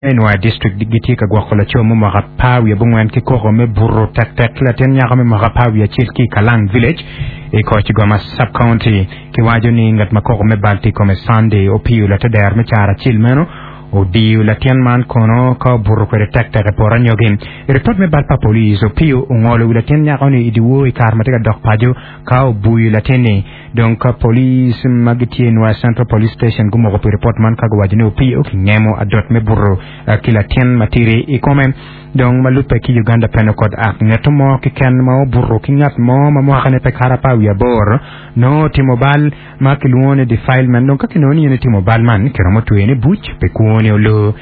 I Nwoya District gitye ka gwoko laco me mwaka apar wiye abongwen ki koko me buto tektek ki latin nyako me mwaka apar wiye acel ki i Kalang Village i Koch-Goma Sub-County. Kiwaco ni ngat ma koko me bal tye i kome Sunday Opio lateder me caro acel meno odiyo latin man kono ka obuto kwede tektek i poto anyogi. I ripot me bal pa police, Opio ongolo wi latin nyako-ni i dyewor i kare ma tye ka dok paco ka obuyo latin-ni. Dong ka police ma gitye i Nwoya Central Police Station gumoko pi ripot man ka guwaco ni Opio kingemo adot me buto ki latin matidi i kome. Dong ma lubbe ki Uganda Penal Code Act, ngeto mo keken ma obuto ki ngat mo ma mwakane pe kato apar wiye aboro nongo otimo bal ma kilwongo ni defilement. Dong ka kinongo ni in itimo bal man, kiromo tweyone buc pi kwoni oloo.